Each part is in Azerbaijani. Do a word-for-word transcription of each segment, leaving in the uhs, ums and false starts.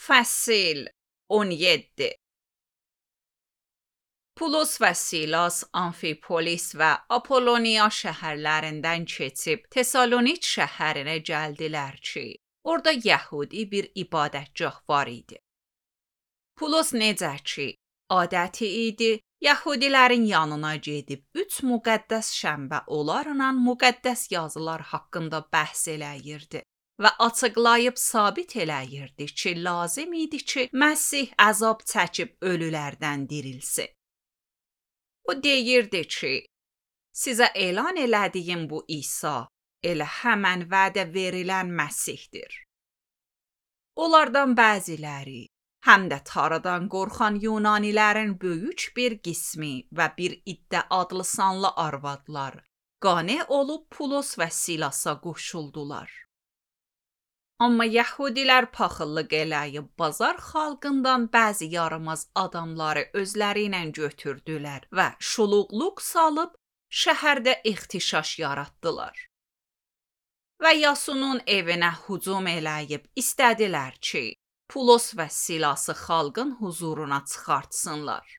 Fəsil on yeddi. Pulos və Silas Amfipolis və Apolloniya şəhərlərindən keçib Tesaloniç şəhərinə gəldilər ki, orada Yəhudi bir ibadətgah var idi. Pulos necə ki, adəti idi, Yəhudilərin yanına gedib üç müqəddəs şənbə onlarla müqəddəs yazılar haqqında bəhs eləyirdi və açıqlayıb sabit eləyirdi ki, lazım idi ki, Məsih əzab çəkib ölülərdən dirilsin. O deyirdi ki, sizə elan elədiyim bu İsa elə həmən vədə verilən Məsihdir. Onlardan bəziləri, həm də Tanrıdan qorxan Yunanilərin böyük bir qismi və bir iddə adlı sanlı arvadlar qane olub Pulos və Silasa qoşuldular. Amma Yəhudilər paxıllıq eləyib bazar xalqından bəzi yaramaz adamları özləri ilə götürdülər və şuluqluq salıb şəhərdə ixtişaş yaratdılar. Və Yasunun evinə hücum eləyib istədilər ki, Pulos və Silası xalqın huzuruna çıxartsınlar.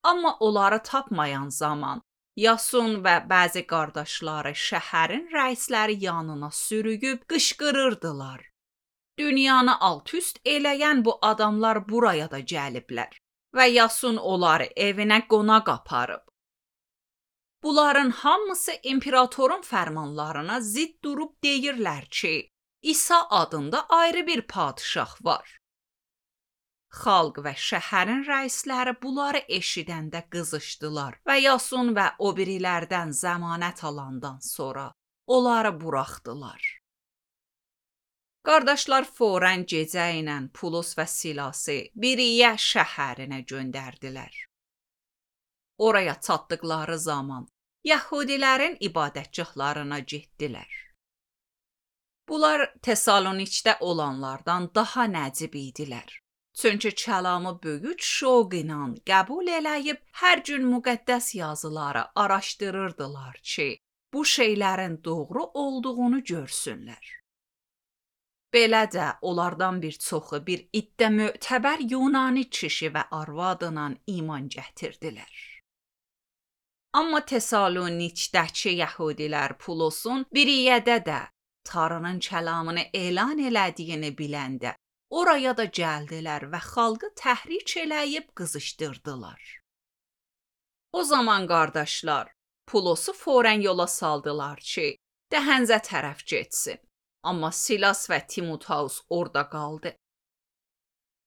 Amma onları tapmayan zaman Yasun və bəzi qardaşları şəhərin rəisləri yanına sürüyüb qışqırırdılar. Dünyanı alt-üst eləyən bu adamlar buraya da gəliblər və Yasun onları evinə qonaq aparıb. Bunların hamısı imperatorun fərmanlarına zidd durub deyirlər ki, İsa adında ayrı bir padişah var. Xalq və şəhərin rəisləri bunları eşidəndə qızışdılar və Yasun və o birilərdən zəmanət alandan sonra onları buraxdılar. Qardaşlar fərən gecə ilə Pulos və Silası Biriyə şəhərinə göndərdilər. Oraya çatdıqları zaman Yəhudilərin ibadətgahlarına getdilər. Bunlar Tesaloniçdə olanlardan daha nəcib idilər. Çünki kəlamı böyük şoq ilə qəbul eləyib hər gün müqəddəs yazıları araşdırırdılar ki, bu şeylərin doğru olduğunu görsünlər. Belə də onlardan bir çoxu bir iddə mötəbər Yunani kişi və arvadla iman gətirdilər. Amma Tesaloniçdəki Yəhudilər Pulosun Biriyədə də Tanrının kəlamını elan elədiyini biləndə oraya da gəldilər və xalqı təhrik eləyib qızışdırdılar. O zaman qardaşlar Pulosu fərən yola saldılar ki, dəhənzə tərəf getsin. Amma Silas və Timoteus orada qaldı.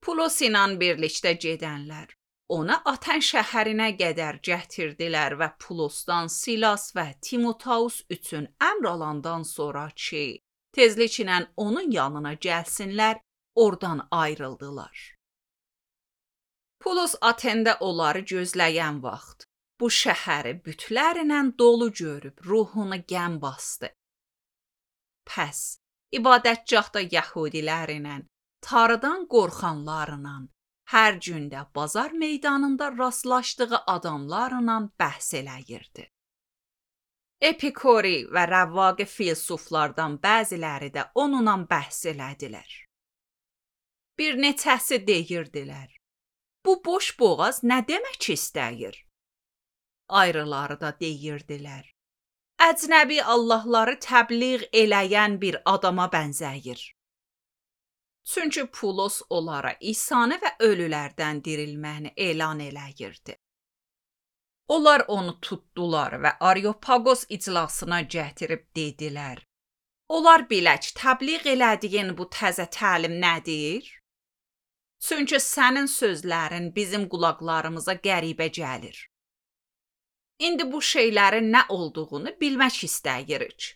Pulos ilə birlikdə gedənlər ona Aten şəhərinə qədər gətirdilər və Pulosdan Silas və Timoteus üçün əmr alandan sonra ki, tezliklə onun yanına gəlsinlər, oradan ayrıldılar. Pulos Atendə onları gözləyən vaxt bu şəhəri bütlərlə dolu görüb ruhunu qəm bastı. Pəs, ibadətgahda Yəhudilərlə, Tanrıdan qorxanlarla, hər gündə bazar meydanında rastlaşdığı adamlarla bəhs eləyirdi. Epikuri və rəvvaqi filsuflardan bəziləri də onunla bəhs elədilər. Bir neçəsi deyirdilər, bu boş boğaz nə demək istəyir? Ayrıları da deyirdilər, əcnəbi Allahları təbliğ eləyən bir adama bənzəyir. Çünki Pulos onlara İsanı və ölülərdən dirilməni elan eləyirdi. Onlar onu tutdular və Areopagos iclasına gətirib dedilər, onlar bilək təbliğ elədiyin bu təzə təlim nədir? Çünki sənin sözlərin bizim qulaqlarımıza qəribə gəlir. İndi bu şeylərin nə olduğunu bilmək istəyirik.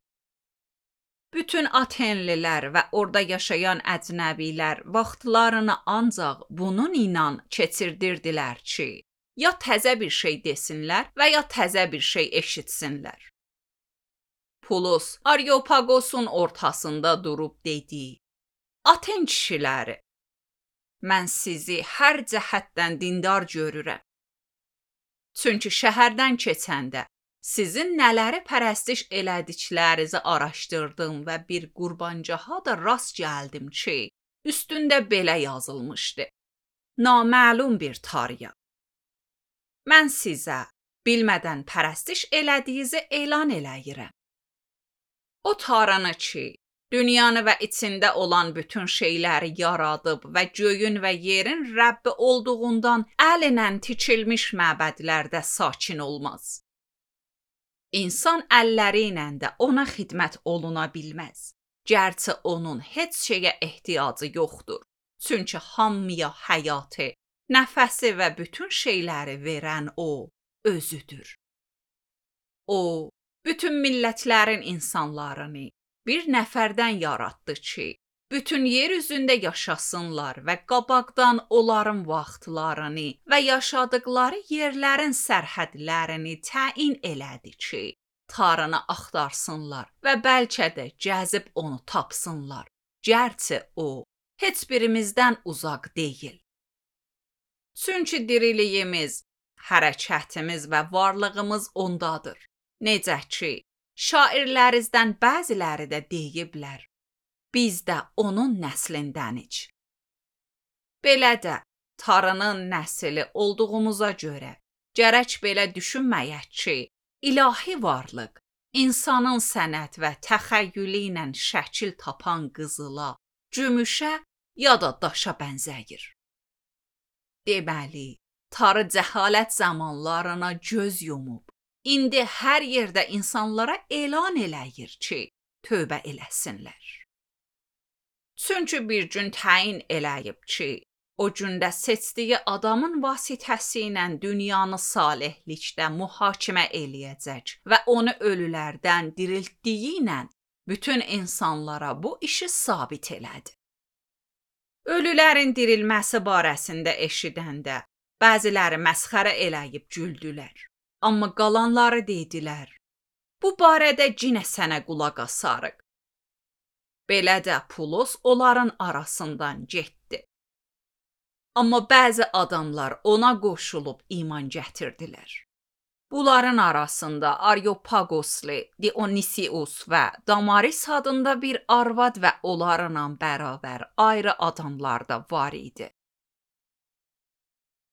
Bütün Atenlilər və orada yaşayan əcnəbilər vaxtlarını ancaq bunun ilə keçirdirdilər ki, ya təzə bir şey desinlər və ya təzə bir şey eşitsinlər. Pulos Areopagosun ortasında durub dedi, Aten kişiləri, mən sizi hər cəhətdən dindar görürəm. Çünki şəhərdən keçəndə sizin nələri pərəstiş elədiklərinizi araşdırdım və bir qurbancaha da rast gəldim ki, Üstündə belə yazılmışdı: Naməlum bir tarıya. Mən sizə bilmədən pərəstiş elədiyinizi elan eləyirəm. O tarını ki, dünyanı və içində olan bütün şeyləri yaradıb və göyün və yerin Rəbbi olduğundan əllə tikilmiş məbədlərdə sakin olmaz. İnsan əlləri ilə də ona xidmət oluna bilməz. Gərçi onun heç şeyə ehtiyacı yoxdur. Çünki hamıya həyatı, nəfəsi və bütün şeyləri verən o özüdür. O, bütün millətlərin insanlarını bir nəfərdən yaratdı ki, bütün yer üzündə yaşasınlar və qabaqdan onların vaxtlarını və yaşadıkları yerlərin sərhədlərini təyin elədi ki, tarını axtarsınlar və bəlkə də gəzib onu tapsınlar. Gərçi o, heç birimizdən uzaq deyil. Çünki diriliyimiz, hərəkətimiz və varlığımız ondadır. Necə ki, şairlərimizdən bəziləri də deyiblər, biz də onun nəslindənik. Belə də tarının nəsli olduğumuza görə, gərək belə düşünməyək ki, ilahi varlıq, insanın sənət və təxəyyülü ilə şəkil tapan qızıla, gümüşə ya da daşa bənzəyir. Deməli, tarı cəhalət zamanlarına göz yumub, indi hər yerdə insanlara elan eləyir ki, tövbə eləsinlər. Çünki bir gün təyin eləyib ki, o gündə seçdiyi adamın vasitəsi ilə dünyanı salihlikdə mühakimə eləyəcək və onu ölülərdən diriltdiyi ilə bütün insanlara bu işi sabit elədi. Ölülərin dirilməsi barəsində eşidəndə bəziləri məsxərə eləyib güldülər. Amma qalanları dedilər, bu barədə yenə sənə qulaq asarıq. Belə də Pulos onların arasından getdi. Amma bəzi adamlar ona qoşulub iman gətirdilər. Bunların arasında Areopagoslu, Dionisius və Damaris adında bir arvad və onlarla bərabər ayrı adamlar da var idi.